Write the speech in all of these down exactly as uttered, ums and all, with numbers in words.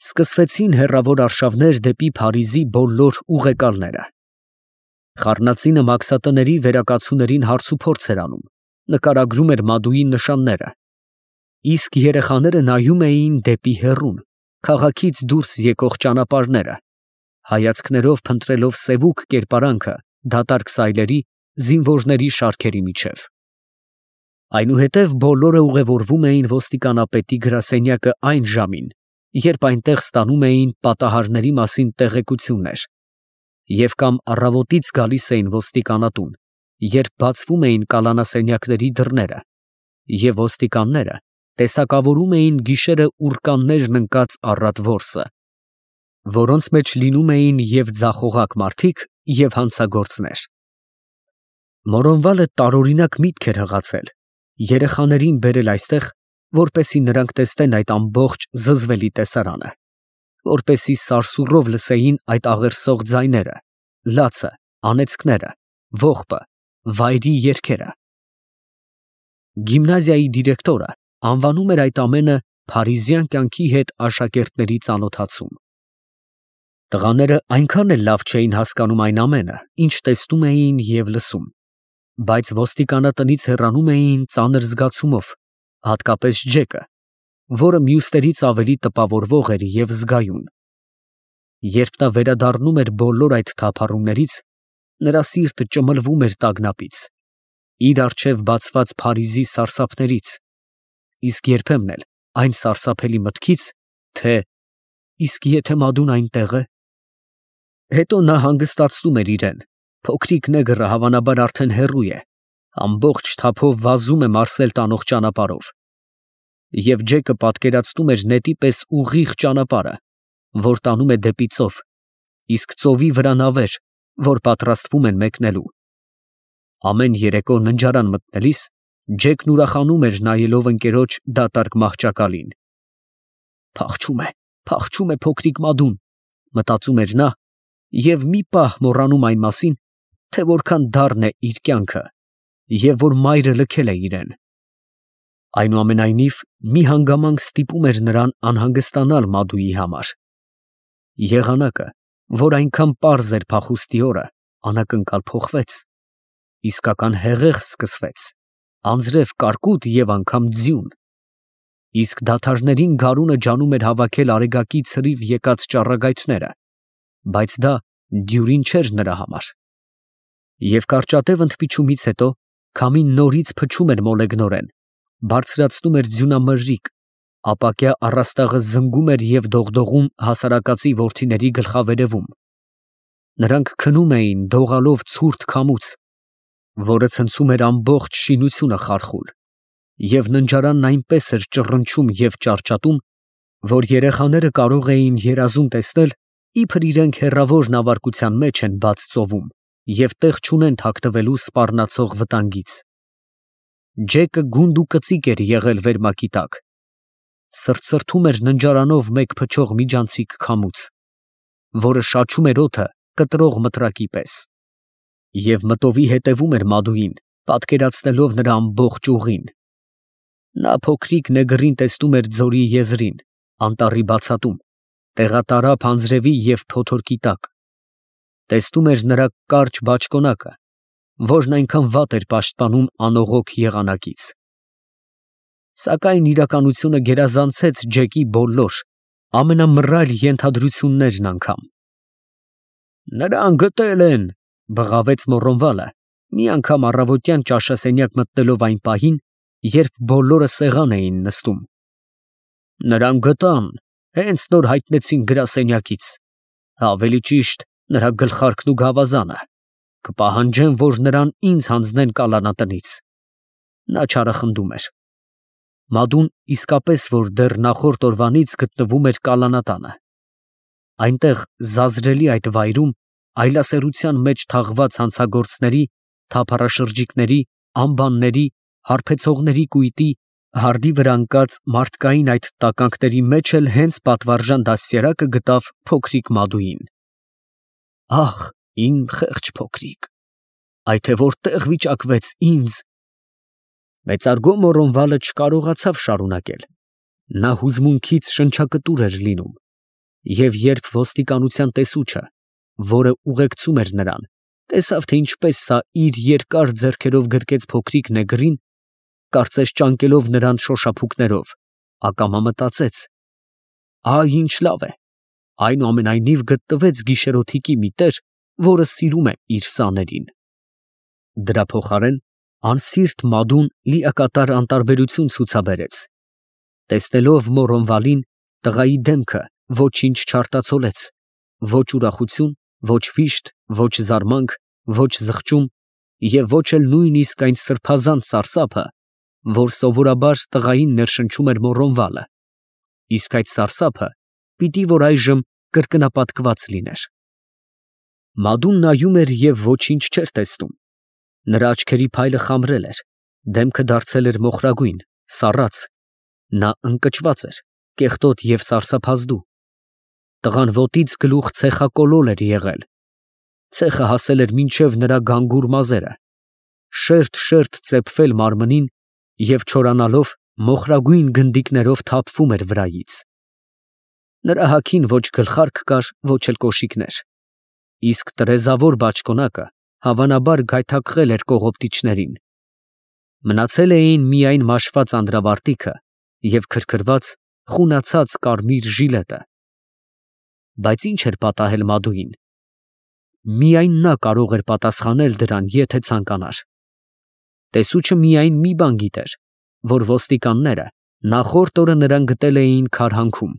Սկսվեցին հեռավոր արշավներ դեպի Փարիզի բոլոր ուղեկալները։ Խառնածինը մաքսատների վերակացուներին հարցուփորձ էր անում, նկարագրում էր Մադուի նշանները, իսկ երեխաները նայում էին դեպի հեռուն, քաղաքից դուրս եկող ճանապարհները, հայացքներով փնտրելով սևուկ կերպարանքը դատարկ սայլերի, զինվորների շարքերի միջև։ Այնուհետև բոլորը ուղևորվում էին ոստիկանապետի գրասենյակը այն ժամին, երբ այնտեղ ստանում էին պատահարների մասին տեղեկություններ, և կամ առավոտից գալիս էին ոստիկանատուն, երբ բացվում էին կալանասենյակների դռները, և ոստիկանները տեսակավորում էին գիշերը ուռկաններն ընկած առատ որսը, որոնց մեջ լինում էին և ձախողակ մարդիկ, և հանցագործներ։ Մորոնվալը տարօրինակ միտք էր հղացել երեխաներին բերել այստեղ, որպեսզի նրանք տեսնեն այդ ամբողջ զզվելի տեսարանը, որպեսզի սարսուռով լսեին այդ աղերսող ձայները, լացը, անեծքները, ողբը, վայրի երգերը։ Գիմնազիայի դիրեկտորը անվանում էր այդ ամենը փարիզյան կյանքի հետ աշակերտների ծանոթացում։ Տղաները այնքան էլ լավ չէին հասկանում այն ամենը, ինչ տեսնում էին և լսում, բայց ոստիկանատնից հեռանում էին ծանր զգացումով, հատկապես Ջեկը, որը մյուսներից ավելի տպավորվող էր և զգայուն։ Երբ նա վերադառնում էր բոլոր այդ թափառումներից, նրա սիրտը ճմլվում էր տագնապից, իր առջև բացված Փարիզի սարսափներից, իսկ երբեմն էլ այն սարսափելի մտքից, թե «Իսկ եթե Մադուն այնտեղ է»։ Հետո նա հանգստացնում էր իրեն. փոքրիկ նեգրը հավանաբար արդեն հեռու է, ամբողջ թափով վազում է Մարսել տանող ճանապարհով, և Ջեկը պատկերացնում էր նետի պես ուղիղ ճանապարհը, որ տանում է դեպի ծով, իսկ ծովի վրա նավեր, որ պատրաստվում են մեկնելու։ Ամեն երեկո ննջարան մտնելիս Ջեկն ուրախանում էր նայելով ընկերոջ դատարկ մահճակալին։ «Փախչում է, փախչում է փոքրիկ Մադուն», մտածում էր նա, և մի պահ մոռանում այն մասին, թե որքան դառն է իր կյանքը, և որ մայրը լքել է իրեն։ Այնուամենայնիվ, մի հանգամանք ստիպում էր նրան անհանգստանալ Մադուի համար։ Եղանակը, որ այնքան պարզ էր փախուստի օրը, անակնկալ փոխվեց, իսկական հեղեղ սկսվեց, անձրև, կարկուտ և անգամ ձյուն, իսկ դադարներին գարունը ջանում էր հավաքել արեգակի ցրիվ եկած ճառագայթները, բայց դա դյուրին չէր նրա համար։ Եվ կարճատև ընդմիջումից հետո քամին նորից փչում էր մոլեգնորեն, բարձրացնում էր ձյունամրրիկ, ապակյա առաստաղը զնգում էր և դողդողում հասարակածի որդիների գլխավերևում։ Նրանք քնում էին դողալով ցուրտ քամուց, որը ցնցում էր ամբողջ շինությունը խարխուլ, և ննջարանն այնպես էր ճռնչում և ճարճատում, որ երեխաները կարող էին երազում տեսնել, իբր իրենք հեռավոր նավարկության մեջ են բաց ծովում և տեղ չունեն թաքնվելու սպառնացող վտանգից։ Ջեկը գունդ ու կծիկ էր եղել վերմակի տակ, սրտսրտում էր ննջարանով մեկ փչող միջանցիկ քամուց, որը շաչում էր օդը կտրող մտրակի պես, և մտովի հետևում էր Մադուին, պատկերացնելով նրա ամբողջ ուղին։ Նա փոքրիկ նեգրին տեսնում էր ձորի եզրին, անտառի բացատում, տեղատարափ անձրևի և փոթորկի տակ, տեսնում էր նրա կարճ բաճկոնակը, որն այնքան վատ էր պաշտպանում անողոք եղանակից։ Սակայն իրականությունը գերազանցեց Ջեկի բոլոր, ամենամռայլ ենթադրություններն անգամ։ «Նրան գտել են», բղավեց Մոռոնվալը, մի անգամ առավոտյան ճաշասենյակ մտնելով այն պահին, երբ բոլորը սեղան էին նստում։ «Նրան գտան, հենց նոր հայտնեցին գրասենյակից, ավելի ճիշտ, նրա գլխարկն ու գավազանը, կպահանջեն, որ նրան ինձ հանձնեն կալանատնից»։ Նա չարախնդում էր։ Մադուն իսկապես որ դեռ նախորդ օրվանից գտնվում էր կալանատանը։ Այնտեղ զազրելի այդ վայրում այլասերության մեջ թաղված հանցագործների, թափառաշրջիկների, անբանների, հարբեցողների կույտի, հարդի վրա ընկած մարդկային այդ տականքների մեջ էլ հենց պատվարժան դաստիարակը գտավ փոքրիկ Մադուին։ Ահ, իմ խեղճ փոքրիկ, այ թե որտեղ վիճակվեց ինձ… Մեծարգո Մոռոնվալը չկարողացավ շարունակել. նա հուզմունքից շնչակտուր էր լինում, Եվ երբ ոստիկանության տեսուչը, որը ուղեկցում էր նրան, տեսավ, թե ինչպես սա իր երկար ձեռքերով գրկեց փոքրիկ նեգրին, կարծես ճանկելով նրան շոշափուկներով, ակամա մտածեց. «Ա՜, ինչ լավ է, այնուամենայնիվ գտնվեց գիշերօթիկի մի տեր, որը սիրում է իր սաներին»։ Դրա փոխարեն անսիրտ Մադուն լիակատար անտարբերություն ցուցաբերեց. տեսնելով Մորոնվալին, տղայի դեմքը ոչինչ չարտացոլեց, ոչ ուրախություն, ոչ վիշտ, ոչ զարմանք, ոչ զղջում և ոչ էլ նույնիսկ այն սրբազան սարսափը, որ սովորաբար տղային ներշնչում էր Մորոնվալը, իսկ այդ սարսափը պիտի որ այժմ կրկնապատկված լիներ։ Մադուն նայում էր և ոչինչ չէր տեսնում. նրա աչքերի փայլը խամրել էր, դեմքը դարձել էր մոխրագույն, սառած, նա ընկճված էր, կեղտոտ և սարսափազդու։ Տղան ոտից գլուխ ցեխակոլոլ էր եղել, ցեխը հասել էր մինչև նրա գանգուր մազերը, շերտ֊շերտ ծեփվել մարմնին և չորանալով մոխրագույն գնդիկներով թափվում էր վրայից։ Նրա հագին ոչ գլխարկ կար, ոչ էլ կոշիկներ, իսկ տրեզավոր բաճկոնակը հավանաբար գայթակղել էր կողոպտիչներին։ Մնացել էին միայն մաշված անդրավարտիքը և քրքրված, խունացած կարմիր ժիլետը։ Բայց ի՞նչ էր պատահել Մադուին։ Միայն նա կարող էր պատասխանել դրան, եթե ցանկանար։ Տեսուչը միայն մի բան գիտեր, որ ոստիկանները նախորդ օրը նրան գտել էին քարհանքում։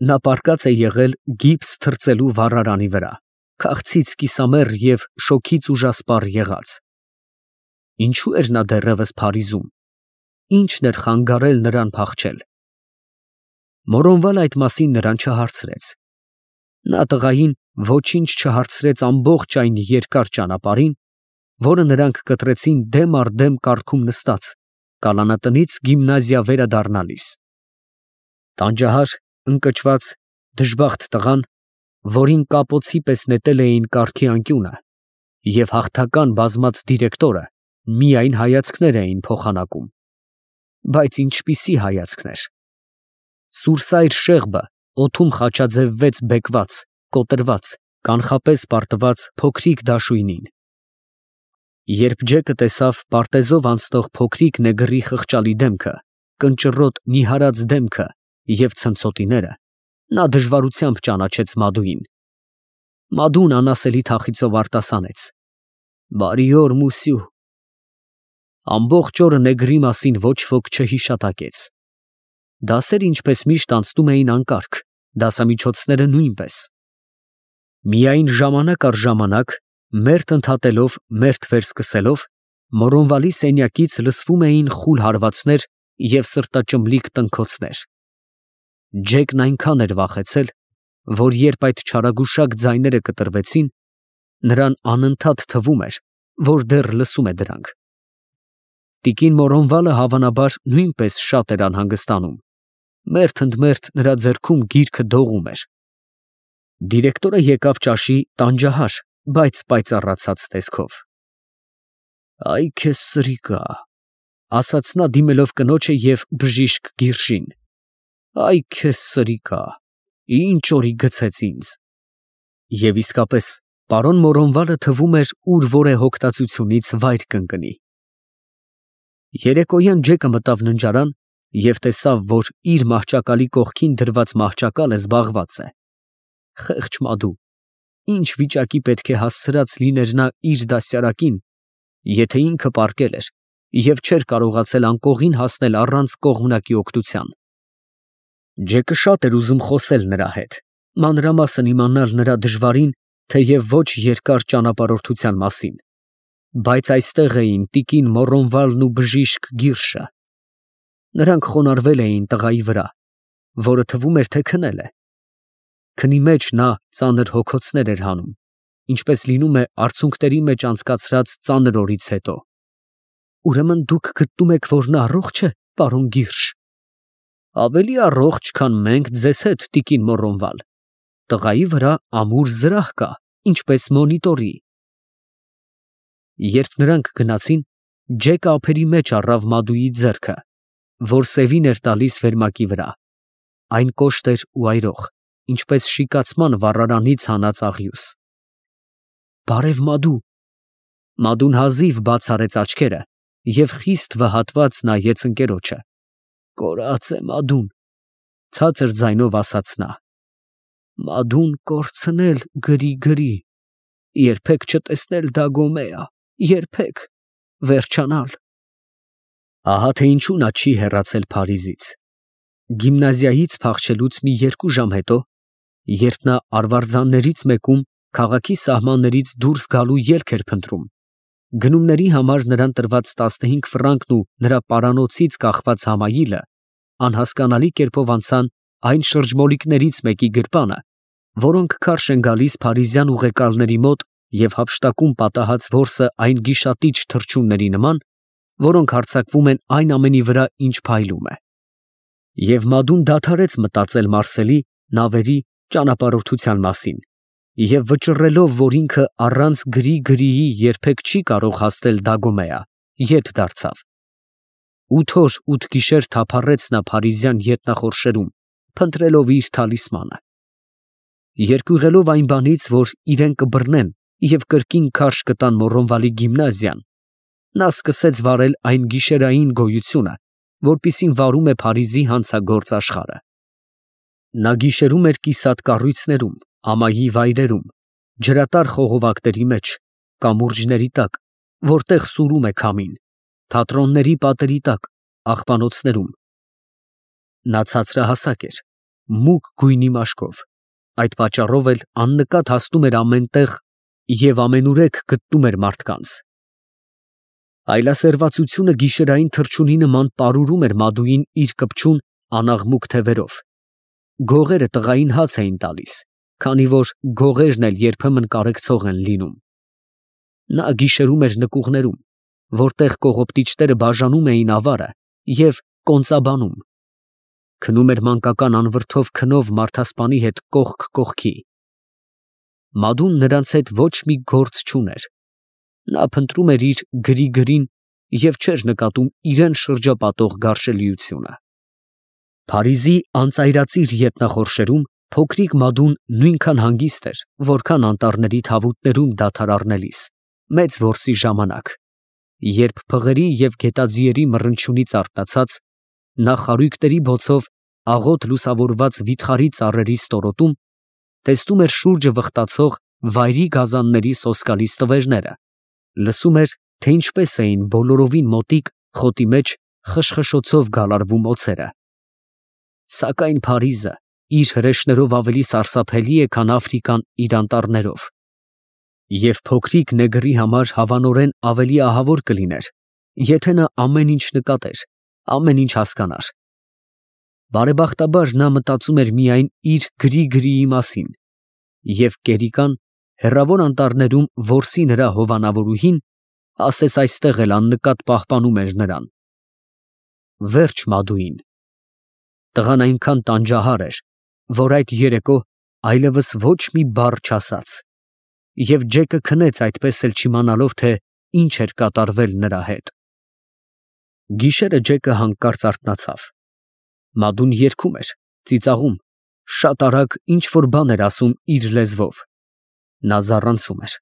Նա պառկած է եղել գիպս թրծելու վառարանի վրա, քաղցից կիսամեռ և շոգից ուժասպառ եղած։ Ինչո՞ւ էր նա դեռևս Փարիզում, ի՞նչն էր խանգարել նրան փախչել։ Մորոնվալը այդ մասին նրան չհարցրեց։ Նա տղային ոչինչ չհարցրեց ամբողջ այն երկար ճանապարհին, որը նրանք կտրեցին դեմ առ դեմ կառքում նստած, կալանատնից գիմնազիա վերադառնալիս։ Տանջահար, ընկճված, դժբախտ տղան, որին կապոցի պես նետել էին կառքի անկյունը, և հաղթական բազմած դիրեկտորը միայն հայացքներ էին փոխանակում։ Բայց ինչպիսի հայացքներ։ Սուրսայր շեղբը օդում խաչաձևվեց բեկված, կոտրված, կանխապես պարտված փոքրիկ դաշույնին։ Երբ Ջեկը տեսավ պարտեզով անցնող փոքրիկ նեգրի խղճալի դեմքը, կնճռոտ նիհարած դեմքը և ցնցոտիները, նա դժվարությամբ ճանաչեց Մադուին։ Մադուն անասելի թախիծով արտասանեց. «Բարի օր, մուսյու»։ Ամբողջ օրը նեգրի մասին ոչ ոք չհիշատակեց։ Դասերը ինչպես միշտ անցնում էին անկարգ, դասամիջոցները նույնպես։ Միայն ժամանակ առ ժամանակ, մերթ ընդհատելով, մերթ վերսկսելով, Մորոնվալի սենյակից լսվում էին խուլ հարվածներ և սրտաճմլիկ տնքոցներ։ Ջեկն այնքան էր վախեցել, որ երբ այդ չարագուշակ ձայները կտրվեցին, նրան անընդհատ թվում էր, որ դեռ լսում է դրանք։ Տիկին Մորոնվալը հավանաբար նույնպես շատ էր անհանգստանում, մերթ ընդ մերթ նրա ձեռքում գիրքը դողում էր։ Դիրեկտորը եկավ ճաշի տանջահար, բայց պայծառացած տեսքով։ «Այ քեզ սրիկա», ասաց նա դիմելով կնոջը և բժիշկ Գիրշին։ «Այ քեզ սրիկա, ինչ օրի գցեց ինձ»։ Եվ իսկապես, պարոն Մորոնվալը թվում էր ուր որ է հոգտացությունից վայր կընկնի։ Երեկոյան Ջեկը մտավ ննջարան և տեսավ, որ իր մահճակալի կողքին դրված մահճակալը զբաղված է։ Խեղճ Մադու, ինչ վիճակի պետք է հասցրած լիներ նա իր դաստիարակին, եթե ինքը պառկել էր և չէր կարողացել անկողին հասնել առանց կողմնակի օգնության։ Ջեկը շատ էր ուզում խոսել նրա հետ, մանրամասն իմանալ նրա դժվարին, թեև ոչ երկար ճանապարհորդության մասին, բայց այստեղ էին տիկին Մորոնվալն ու բժիշկ Գիրշը։ Նրանք խոնարհվել էին տղայի վրա, որը թվում էր, թե քնել է։ Քնի մեջ նա ծանր հոգոցներ էր հանում, ինչպես լինում է արցունքների մեջ անցկացրած ծանր օրից հետո։ Ուրեմն դուք գտնում եք, որ նա առողջ է, պարոն Գիրշ։ Ավելի առողջ, քան մենք ձեզ հետ, տիկին Մորոնվալ։ Տղայի վրա ամուր զրահ կա, ինչպես մոնիտորի։ Երբ նրանք գնացին, Ջեկը ափերի մեջ առավ Մադուի ձեռքը, որ սևին էր տալիս վերմակի վրա։ Այն կոշտ էր ու այրող, ինչպես շիկացման վառարանից հանած աղյուս։ Բարև Մադու։ Մադուն հազիվ բաց արեց աչքերը և խիստ վհատված նայեց ընկերոջը։ Կորած է Մադուն, ցածր ձայնով ասաց նա։ Մադուն կորցնել գրի֊գրի, երբեք չտեսնել Դագոմեա, երբեք վերջանալ։ Ահա թե ինչու նա չի հեռացել Փարիզից։ Գիմնազիայից փախչելուց մի երկու ժամ հետո, երբ նա արվարձաններից մեկում քաղաքի սահմաններից դուրս գալու ելք էր փնտրում, գնումների համար նրան տրված տասնհինգ ֆրանկն ու նրա պարանոցից կախված համայիլը անհասկանալի կերպով անցան այն շրջմոլիկներից մեկի գրպանը, որոնք քարշ են գալիս փարիզյան ուղեկալների մոտ և հափշտակում պատահած որսը այն գիշատիչ թռչունների նման, որոնք հարձակվում են այն ամենի վրա, ինչ փայլում է։ Եվ Մադուն դադարեց մտածել Մարսելի նավերի ճանապարհորդության մասին և վճռելով, որ ինքը առանց գրի֊գրիի երբեք չի կարող հասնել Դագոմեա, ետ դարձավ։ Ութ օր ութ գիշեր թափառեց նա փարիզյան ետնախորշերում, փնտրելով իր թալիսմանը։ Երկյուղելով այն բանից, որ իրեն կբռնեն և կրկին քարշ կտան Մոռոնվալի գիմնազիան, նա սկսեց վարել այն գիշերային գոյությունը, որպիսին վարում է Փարիզի հանցագործ աշխարհը։ Նա գիշերում էր կիսատ կառույցներում, ամայի վայրերում, ջրատար խողովակների մեջ, կամուրջների տակ, որտեղ սուրում է քամին, թատրոնների պատերի տակ, աղբանոցներում։ Նա ցածրահասակ էր, մուգ գույնի մաշկով, այդ պատճառով էլ աննկատ հասնում էր ամեն տեղ և ամենուրեք գտնում էր մարդկանց։ Այլասերվածությունը գիշերային թռչունի նման պարուրում էր Մադուին իր կպչուն անաղմուկ թևերով։ Գողերը տղային հաց էին տալիս, քանի որ գողերն էլ երբեմն կարեկցող են լինում։ Նա գիշերում էր նկուղներում, որտեղ կողոպտիչները բաժանում էին ավարը և կոնծաբանում։ Քնում էր մանկական անվրդով քնով մարդասպանի հետ կողք կողքի։ Մադուն նրանց հետ ոչ մի գործ չուներ։ Նա փնտրում էր իր գրի֊գրին և չէր նկատում իրան շրջապատող գարշելիությունը։ Փարիզի անծայրածիր ետնախորշերում փոքրիկ Մադուն նույնքան հանգիստ էր, որքան անտառների թավուտներում դադար առնելիս, մեծ որսի ժամանակ, երբ փղերի և գետաձիերի մռնչյունից արթնացած, նա խարույկների բոցով աղոտ լուսավորված վիթխարի ծառերի ստորոտում տեսնում էր շուրջը վխտացող վայրի գազանների սոսկալի ստվերները, լսում էր, թե ինչպես էին բոլորովին մոտիկ խոտի մեջ խշխշոցով գալարվում օձերը։ Սակայն Փարիզը իր հրեշներով ավելի սարսափելի է, քան Աֆրիկան իր անտառներով, և փոքրիկ նեգրի համար հավանորեն ավելի ահավոր կլիներ, եթե նա ամեն ինչ նկատեր, ամեն ինչ հասկանար։ Բարեբախտաբար նա մտածում էր միայն իր գրի֊գրիի մասին, և կերիկան հեռավոր անտառներում որսի նրա հովանավորուհին ասես այստեղ էլ աննկատ պահպանում էր նրան։ Վերջ Մադուին։ Տղան այնքան տանջահար էր, որ այդ երեկո այլևս ոչ մի բառ չասաց, և Ջեկը քնեց այդպես էլ չիմանալով, թե ինչ էր կատարվել նրա հետ։ Գիշերը Ջեկը հանկարծ արթնացավ։ Մադուն երգում էր, ծիծաղում, շատ արագ ինչ֊որ բան էր ասում իր լեզվով։ Նա զառանցում էր։